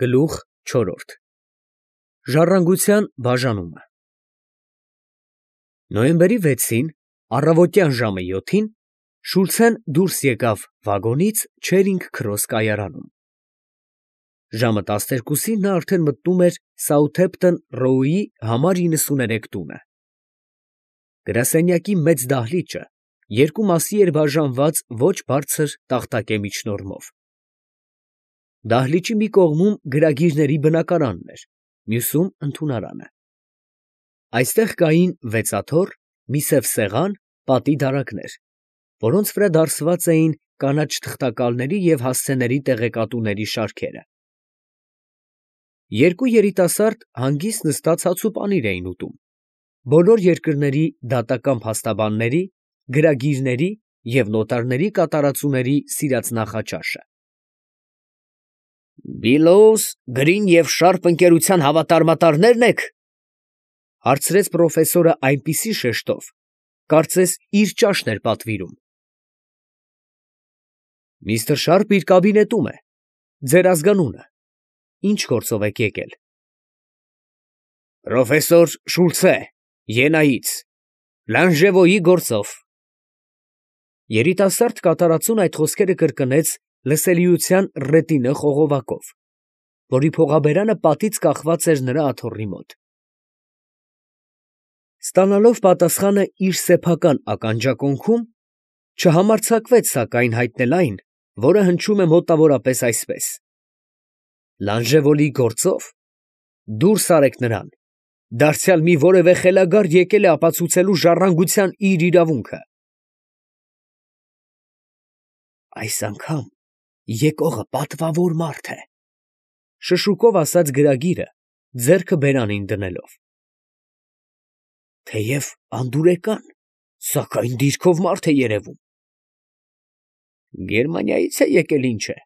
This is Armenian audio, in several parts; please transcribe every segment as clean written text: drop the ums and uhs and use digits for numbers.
Գլուխ 4 Ժառանգության բաժանումը Նոյեմբերի 6-ին առավոտյան ժամը 7-ին Շուլցեն դուրս եկավ վագոնից Չերինգ Քրոս կայարանում։ Ժամը 12-ին նա արդեն մտնում էր Սաութհեմփթոն Ռոուի համար 93 տունը։ Գրասենյակի մեծ դահլիճը երկու մասի էր բաժանված ոչ բարձր տախտակե միջնորմով։ Դահլիճի մի կողմում գրագիրների բնակարանն էր, մյուսում ընդունարանը։ Այստեղ կային վեցաթոռ, մի սև սեղան, պատի դարակներ, որոնց վրա դարսված էին կանաչ թղթակալների և հասցեների տեղեկատուների շարքերը։ Երկու երիտասարդ հանգիստ նստած հաց ու պանիր էին ուտում, բոլոր երկրների դատական փաստաբանների, գրագիրների և նոտարների կատարածուների սիրած նախաճաշը։ «Բիլոուս, Գրին և Շարպ ընկերության հավատարմատարնե՞րն եք», ֊ հարցրեց պրոֆեսորը այնպիսի շեշտով, կարծես իր ճաշն էր պատվիրում։ «Միսթր Շարպը իր կաբինետում է, ձեր ազգանունը, ինչ գործով եք եկել»։ «Պրոֆեսոր Շուլցե, Յենայից, Լանժևոյի գործով»։ Երիտասարդ կատարածուն այդ խոսքերը կրկնեց լսելիության ռետինը խողովակով, որի փողաբերանը պատից կախված էր նրա աթոռի մոտ։ Ստանալով պատասխանը իր սեփական ականջակոնքում, չհամարձակվեց սակայն հայտնել այն, որը հնչում է մոտավորապես այսպես. «Լանժևոլի գործով, դուրս արեք նրան, դարձյալ մի որևէ խելագար եկել է ապացուցելու ժառանգության իր իրավունքը»։ «Այս անգամ եկողը պատվավոր մարդ է», ֊ շշուկով ասաց գրագիրը, ձեռքը բերանին դնելով։ «Թեև անդուրեկան, սակայն դիրքով մարդ է երևում»։ «Գերմանիայից է եկել, ինչ է»։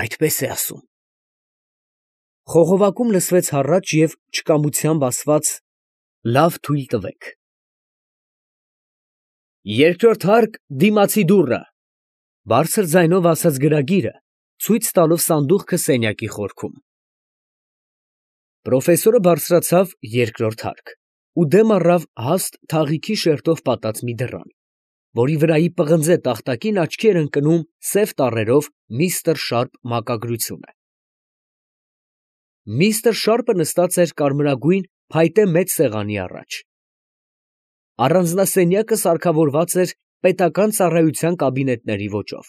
«Այդպես է ասում»։ Խողովակում լսվեց հառաչ և չկամությամբ ասված. «Լավ, թույլ տվեք»։ «Երկրորդ հարկ դիմացի դուռը», ֊ բարձր ձայնով ասաց գրագիրը, ցույց տալով սանդուղքը սենյակի խորքում։ Պրոֆեսորը բարձրացավ երկրորդ հարկ ու դեմ առավ հաստ թաղիքի շերտով պատած մի դռան, որի վրայի պղնձե տախտակին աչքի էր ընկնում սև տառերով «Միսթր Շարպ» մակագրությունը։ Միսթր Շարպը նստած էր կարմրագույն փայտե մեծ սեղանի առաջ։ Առանձնասենյակը սարքավորված էր պետական ծառայության կաբինետների ոճով։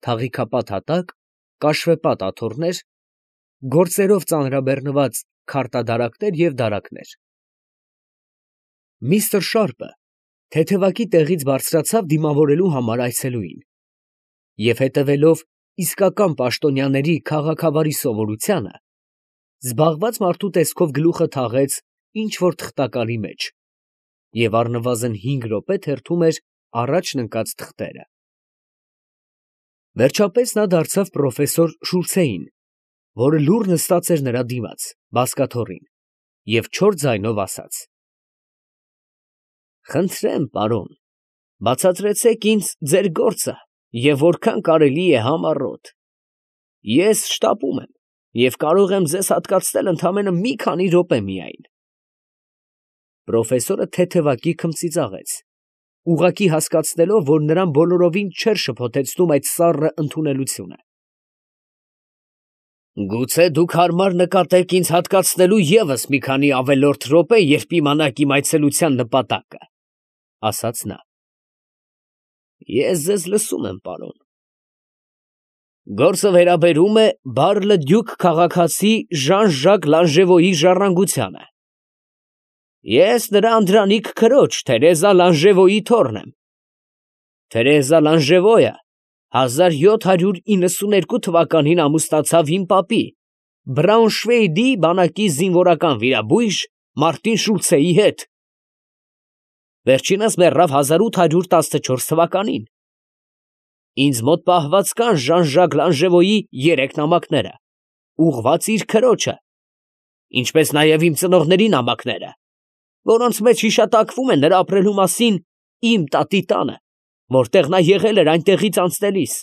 Թաղիքապատ հատակ, կաշվեպատ աթոռներ, գործերով ծանրաբեռնված քարտադարակներ և դարակներ։ Միսթր Շարպը թեթևակի տեղից բարձրացավ դիմավորելու համար այցելուին և հետևելով իսկական պաշտոնյաների քաղաքավարի սովորությանը, զբաղված մարդու տեսքով գլուխը թաղեց ինչ֊որ թղթակալի մեջ և առնվազն 5 րոպե թերթում էր առաջն ընկած թղթերը։ Վերջապես նա դարձավ պրոֆեսոր Շուլցեին, որը լուռ նստած էր նրա դիմաց, բազկաթոռին, և չոր ձայնով ասաց. «Խնդրեմ, պարոն, բացատրեցեք ինձ ձեր գործը և որքան կարելի է համառոտ։ Ես շտապում եմ և կարող եմ ձեզ հատկացնել ընդամենը մի քանի րոպե միայն»։ Պրոֆեսորը թեթևակի քմծիծաղեց, ուղղակի հասկացնելով, որ նրան բոլորովին չէր շփոթեցնում այդ սառը ընդունելությունը։ «Գուցե դուք հարմար նկատեք ինձ հատկացնելու ևս մի քանի ավելորդ րոպե, երբ իմանաք իմ այցելության նպատակը», ֊ ասաց նա։ «Ես ձեզ լսում եմ, պարոն»։ «Գործը վերաբերում է Բար֊լը֊Դյուք քաղաքացի Ժան֊Ժակ Լանժևոյի ժառանգությանը։ Ես նրա անդրանիկ քրոջ Թերեզա Լանժևոյի թոռն եմ։ Թերեզա Լանժևոյը 1792 թվականին ամուսնացավ իմ պապի, Բրաունշվեյգի բանակի զինվորական վիրաբույժ Մարտին Շուլցեի հետ։ Վերջինս մեռավ 1814 թվականին։ Ինձ մոտ պահված կան Ժան֊Ժակ Լանժևոյի 3 նամակները, ուղղված իր քրոջը, ինչպես նաև իմ ծնողների նամակները, որոնց մեջ հիշատակվում է նրա ապրելու մասին իմ տատի տանը, որտեղ նա եղել էր այնտեղից անցնելիս,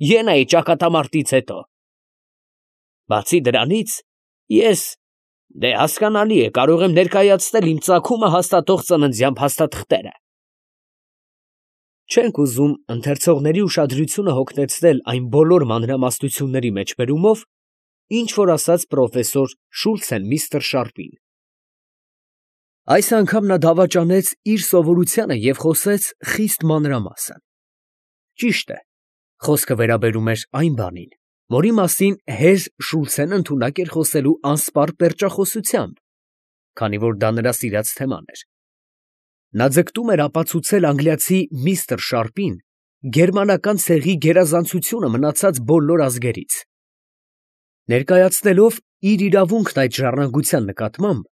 Յենայի ճակատամարտից հետո։ Բացի դրանից, ես, հասկանալի է, կարող եմ ներկայացնել իմ ծագումը հաստատող ծննդյան փաստաթղթերը։ Չենք ուզում ընթերցողների ուշադրությունը հոգնեցնել այն բոլոր մանրամասնությունների մեջբերումով, ինչ որ ասաց պրոֆեսոր Շուլցեն միստր Շարպին։ Այս անգամ նա դավաճանեց իր սովորությանը և խոսեց խիստ մանրամասն։ Ճիշտ է, խոսքը վերաբերում էր այն բանին, որի մասին հեր Շուլցեն ընդունակ էր խոսելու անսպառ պերճախոսությամբ, քանի որ դա նրա սիրած թեման էր։ Նա ձգտում էր ապացուցել անգլիացի միստր Շարպին գերմանական ցեղի գերազանցությունը մնացած բոլոր ազգերից։ Ներկայացնելով իր իրավունքն այդ ժառանգության նկատմամբ,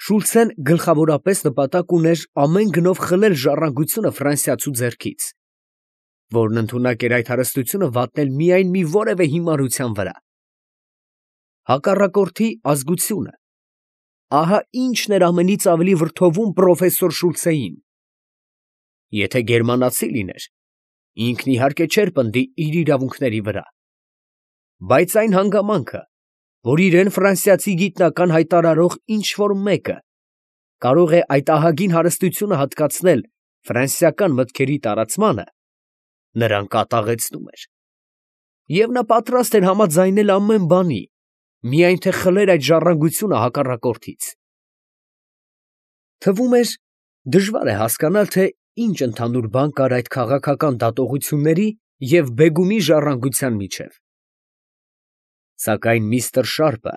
Շուլցեն գլխավորապես նպատակ ուներ ամեն գնով խլել ժառանգությունը ֆրանսիացու ձեռքից, որն ընդունակ էր այդ հարստությունը վատնել միայն մի որևէ հիմարության վրա։ Հակառակորդի ազգությունը, ահա ինչն էր ամենից ավելի վրդովում պրոֆեսոր Շուլցեին։ Եթե գերմանացի լիներ, ինքն իհարկե չէր պնդի իր իրավունքների վրա, բայց այն հանգամանքը, որ իրեն ֆրանսիացի գիտնական հայտարարող ինչ-որ մեկը կարող է այդ ահագին հարստությունը հատկացնել ֆրանսիական մտքերի տարածմանը, նրան կատաղեցնում էր, և նա պատրաստ էր համաձայնել ամեն բանի, միայն թե խլեր այդ ժառանգությունը հակառակորդից։ Թվում էր, դժվար է հասկանալ, թե ինչ ընդհանուր բան կար այդ քաղաքական դատողությունների և բեգումի ժառանգության միջև։ Սակայն միստր Շարպը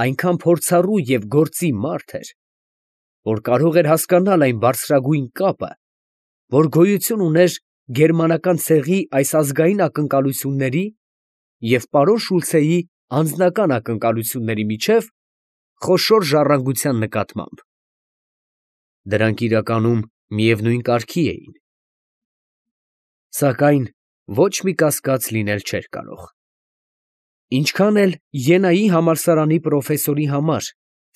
այնքան փորձառու և գործի մարդ էր, որ կարող էր հասկանալ այն բարձրագույն կապը, որ գոյություն ուներ գերմանական ցեղի այս ազգային ակնկալությունների և պարոն Շուլցեի անձնական ակնկալությունների միջև խոշոր ժառանգության նկատմամբ։ Դրանք իրականում միևնույն կարգի էին։ Սակայն ոչ մի կասկած լինել չէր կարող։ Ինչքան էլ Ենայի համալսարանի պրոֆեսորի համար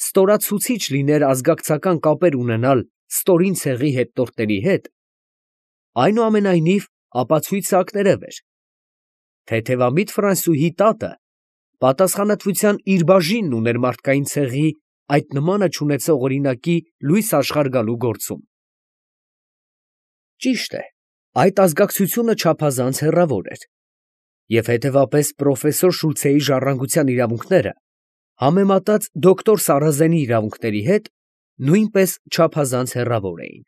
ստորացուցիչ լիներ ազգակցական կապեր ունենալ ստորին ցեղի հետնորդների հետ, այնուամենայնիվ ապացույցը ակներև էր։ Թեթևամիտ Ֆրանսուհի տատը պատասխանատվության իր բաժինն ուներ մարդկային ցեղի այդ նմանը չունեցող օրինակի լույս աշխարհ գալու գործում։ Ճիշտ է, այդ ազգակցությունը չափազանց հեռավոր էր, և հետևապես պրոֆեսոր Շուլցեի ժառանգության իրավունքները, համեմատած դոկտոր Սարազենի իրավունքների հետ, նույնպես չափազանց հեռավոր էին։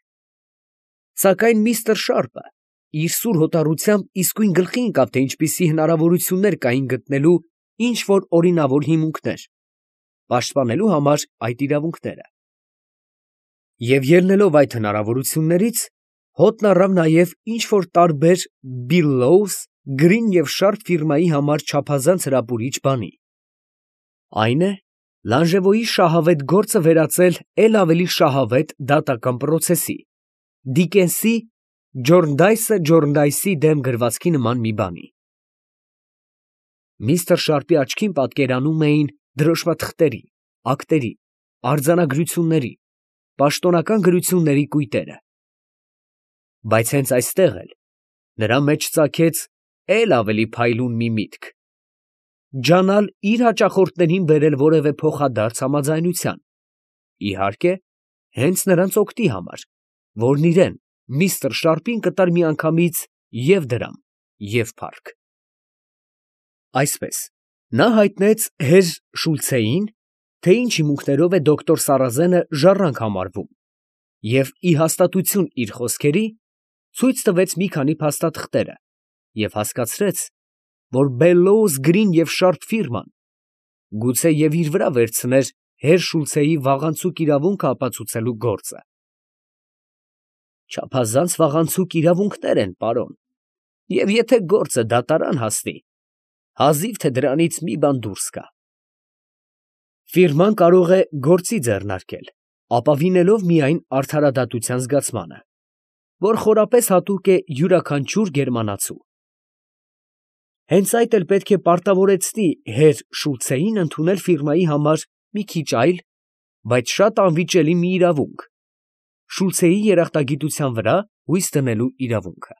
Սակայն միստր Շարպը իր սուր հոտառությամբ իսկույն գլխի ընկավ, թե ինչպիսի հնարավորություններ կային գտնելու ինչ-որ օրինավոր հիմունքներ, պաշտպանելու համար այդ իրավունքները։ Եվ ելնելով այդ հնարավորություններից, հոտն առավ նաև ինչ-որ տարբեր Բիլլոուս, Գրին և Շարպ ֆիրմայի համար չափազանց հրապուրիչ բանի։ Այն է, Լանժևոյի շահավետ գործը վերածել էլ ավելի շահավետ դատական պրոցեսի, Դիկենսի Ջորնդայսի դեմ գրվածքի նման մի բանի։ Միստր Շարպի աչքին պատկերանում էին դրոշմաթղթերի, ակտերի, արձանագրությունների, պաշտոնական գրությունների կույտերը։ Բայց հենց այստեղ էլ նրա մեջ ծագեց էլ ավելի փայլուն մի միտք. ջանալ իր հաճախորդներին բերել որևէ փոխադարձ համաձայնության, իհարկե, հենց նրանց օգտի համար, որն իրեն, միստր Շարպին կտար միանգամից և դրամ, և փառք։ Այսպես, նա հայտնեց հեր Շուլցեին, թե ինչ հիմունքներով է դոկտոր Սարազենը ժառանգ համարվում, և ի հաստատություն իր խոսքերի, ցույց տվեց մի քանի փաստաթղթերը և հասկացրեց, որ Բելլոուս, Գրին և Շարպ ֆիրման գուցե և իր վրա վերցներ հեր Շուլցեի վաղանցուկ իրավունքը ապացուցելու գործը։ Չափազանց վաղանցուկ իրավունքներ են, պարոն, և եթե գործը դատարան հասնի, հազիվ թե դրանից մի բան դուրս գա։ Ֆիրման կարող է գործի ձեռնարկել, ապավինելով միայն արդարադատության զգացմանը, որ խորապես հատուկ է յուրաքանչյուր գերմանացու։ Հենց այդ էլ պետք է պարտավորեցնի հեր Շուլցեին ընդունել ֆիրմայի համար մի քիչ այլ, բայց շատ անվիճելի մի իրավունք՝ Շուլցեի երախտագիտության վրա հույս դնելու իրավունքը։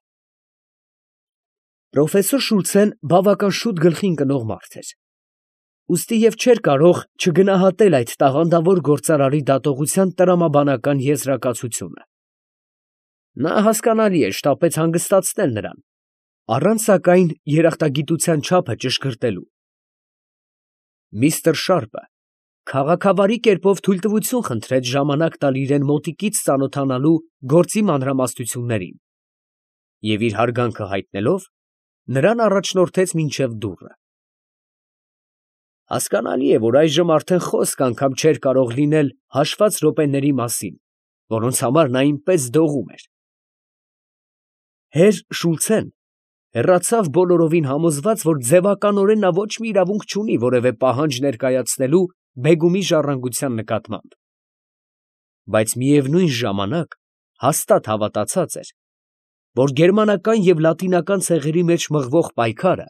Պրոֆեսոր Շուլցեն բավական շուտ գլխի ընկնող մարդ էր։ ուստի և չէր կարող չգնահատել այդ տաղանդավոր գործարարի դատողության տրամաբանական եզրակացությունը։ Նա, հասկանալի է, շտապեց հանգստացնել նրան, առանց սակայն երախտագիտության չափը ճշգրտելու։ Միսթր Շարպը քաղաքավարի կերպով թույլտվություն խնդրեց ժամանակ տալ իրան մոտիկից ծանոթանալու գործի մանրամասնություններին և իր հարգանքը հայտնելով, նրան առաջնորդեց մինչև դուռը։ Հասկանալի է, որ այժմ արդեն խոսք անգամ չէր կարող լինել հաշված րոպեների մասին, որոնց համար նա այնպես դողում էր։ Հեր Շուլցեն հեռացավ բոլորովին համոզված, որ ձևականորեն նա ոչ մի իրավունք չունի որևէ պահանջ ներկայացնելու Բեգումի ժառանգության նկատմամբ, բայց միևնույն ժամանակ հաստատ հավատացած էր, որ գերմանական և լատինական ցեղերի մեջ մղվող պայքարը,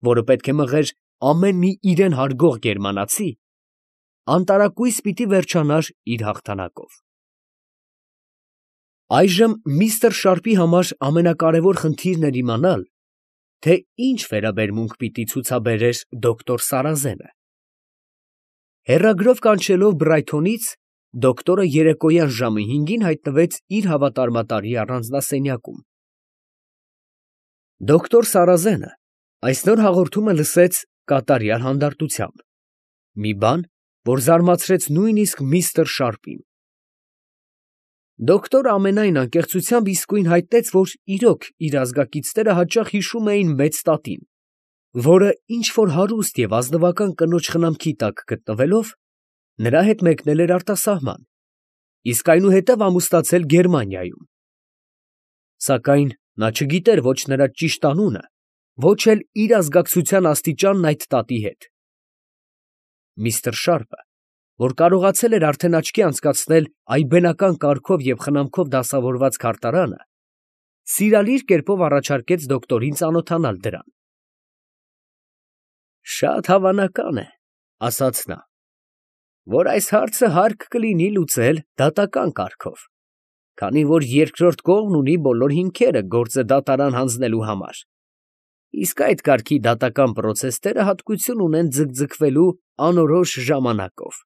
որը պետք է մղեր ամեն մի իրան հարգող գերմանացի, անտարակույս պիտի վերջանար իր հաղթանակով։ Այժմ միստր Շարպի համար ամենակարևոր խնդիրն էր իմանալ, թե ինչ վերաբերմունք պիտի ցուցաբերեր դոկտոր Սարազենը։ Հեռագրով կանչելով Բրայթոնից, դոկտորը երեկոյան ժամը 5-ին հայտնվեց իր հավատարմատարի առանձնասենյակում։ Դոկտոր Սարազենը այսօր հաղորդումը լսեց կատարյալ հանդարտությամբ, մի բան, որ զարմացրեց նույնիսկ միստր Շարպին։ Դոկտորը ամենայն անկեղծությամբ իսկույն հայտնեց, որ իրոք իր ազգակիցները հաճախ հիշում էին մեծ տատին, որը ինչ֊որ հարուստ և ազնվական կնոջ խնամքի տակ գտնվելով, նրա հետ մեկնել էր արտասահման, իսկ այնուհետև ամուսնացել Գերմանիայում։ Սակայն նա չգիտեր ոչ նրա ճիշտ անունը, ոչ էլ իր ազգակցության աստիճանն այդ տատի հետ։ Միստր Շարպը, որ կարողացել էր արդեն աչքի անցկացնել այբենական կարգով և խնամքով դասավորված քարտարանը, սիրալիր կերպով առաջարկեց դոկտորին ծանոթանալ դրան։ «Շատ հավանական է, ֊ ասաց նա, ֊ որ այս հարցը հարկ կլինի լուծել դատական կարգով, քանի որ երկրորդ կողմն ունի բոլոր հիմքերը գործը դատարան հանձնելու համար, իսկ այդ կարգի դատական պրոցեսները հատկություն ունեն ձգձգվելու անորոշ ժամանակով։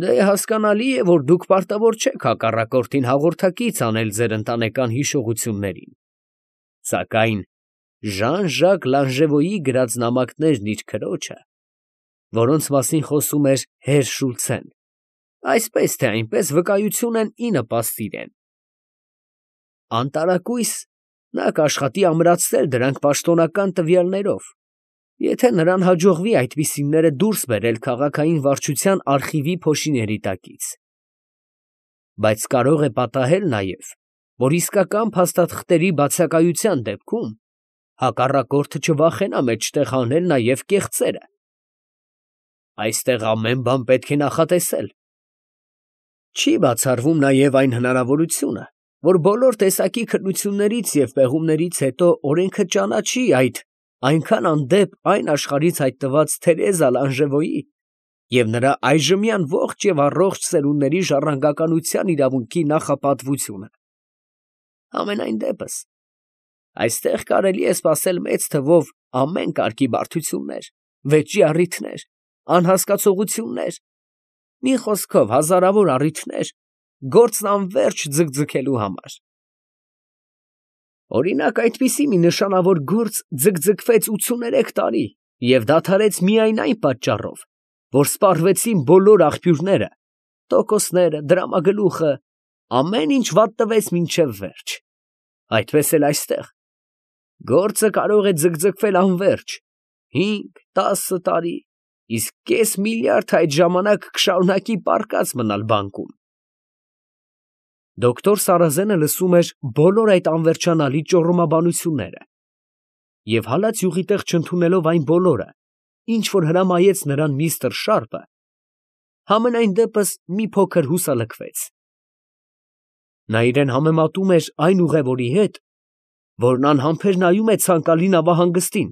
Դե հասկանալի է, որ դուք պարտավոր չեք հակառակորդին հաղորդակից անել ձեր ընտանեկան հիշողություններին, սակայն Ժան֊Ժակ Լանժևոյի գրած նամակներն իր քրոջը, որոնց մասին խոսում էր հեր Շուլցեն, այսպես թե այնպես վկայություն են ի նպաստ իրեն։ Անտարակույս նա կաշխատի ամրացնել դրանք պաշտոնական տվյալներով, եթե նրան հաջողվի այդպիսիները դուրս բերել քաղաքային վարչության արխիվի փոշիների տակից։ Բայց կարող է պատահել նաև, որ իսկական փաստաթղթերի բացակայության դեպքում հակառակորդը չվախենա մեջտեղ հանել նաև կեղծերը։ Այստեղ ամեն բան պետք է նախատեսել։ Չի բացառվում նաև այն հնարավորությունը, որ բոլոր տեսակի քննություններից և պեղումներից հետո օրենքը ճանաչի այդ այնքան անդեպ այն աշխարհից հայտնված Թերեզա Լանժևոյի և նրա այժմյան ողջ և առողջ սերունդների ժառանգականության իրավունքի նախապատվությունը։ Համենայն դեպս, այստեղ կարելի է սպասել մեծ թվով ամեն կարգի բարդություններ, վեճի առիթներ, անհասկացողություններ, մի խոսքով հազարավոր առիթներ գործն անվերջ ձգձգելու համար։ Օրինակ, այդպիսի մի նշանավոր գործ ձգձգվեց 83 տարի և դադարեց միայն այն պատճառով, որ սպառվեցին բոլոր աղբյուրները, տոկոսները, դրամագլուխը, ամեն ինչ վատնվեց մինչև վերջ։ Այդպես էլ այստեղ գործը կարող է ձգձգվել անվերջ 5-10 տարի, իսկ կես միլիարդ այդ ժամանակ կշարունակի պառկած մնալ բանկում։ Դոկտոր Սարազենը լսում էր բոլոր այդ անվերջանալի ճոռոմաբանությունները և հալած յուղի տեղ չընդունելով այն բոլորը, ինչ որ հրամայեց նրան միստր Շարպը, համենայն դեպս մի փոքր հուսալքվեց։ Նա իրան համեմատում էր այն ուղևորի հետ, որն անհամբեր նայում է ցանկալի նավահանգստին,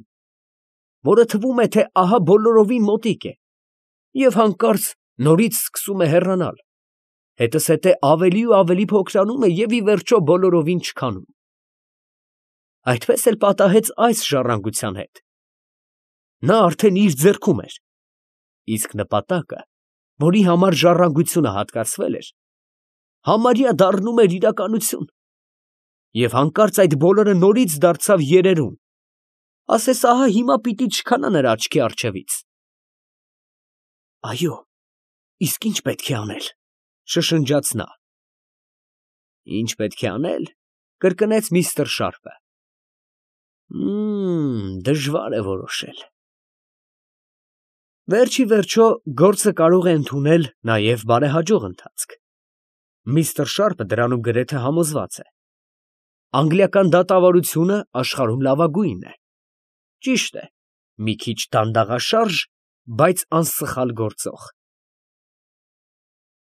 որը թվում է, թե ահա բոլորովին մոտիկ է, և հանկարծ նորից սկսում է հեռանալ, հետզհետե ավելի ու ավելի փոքրանում է և ի վերջո բոլորովին չքանում։ Այդպես էլ պատահեց այս ժառանգության հետ։ նա արդեն իր ձեռքում էր, իսկ նպատակը, որի համար ժառանգությունը հատկացվել էր, համարյա դառնում էր իրականություն, և հանկարծ այդ բոլորը նորից դարձավ երերուն, ասես ահա հիմա պիտի չքանա նրա աչքի առջևից։ «Այո, իսկ ի՞նչ պետք է անել», ֊ շշնջաց նա։ «Ի՞նչ պետք է անել», ֊ կրկնեց միստր Շարպը։ Դժվար է որոշել։ Վերջիվերջո, գործը կարող է ընդունել նաև բարեհաջող ընթացք։ Միստր Շարպը դրանում գրեթե համոզված է։ Անգլիական դատավարությունը աշխարհում լավագույնն է։ Ճիշտ է, մի քիչ դանդաղաշարժ, բայց անսխալ գործող։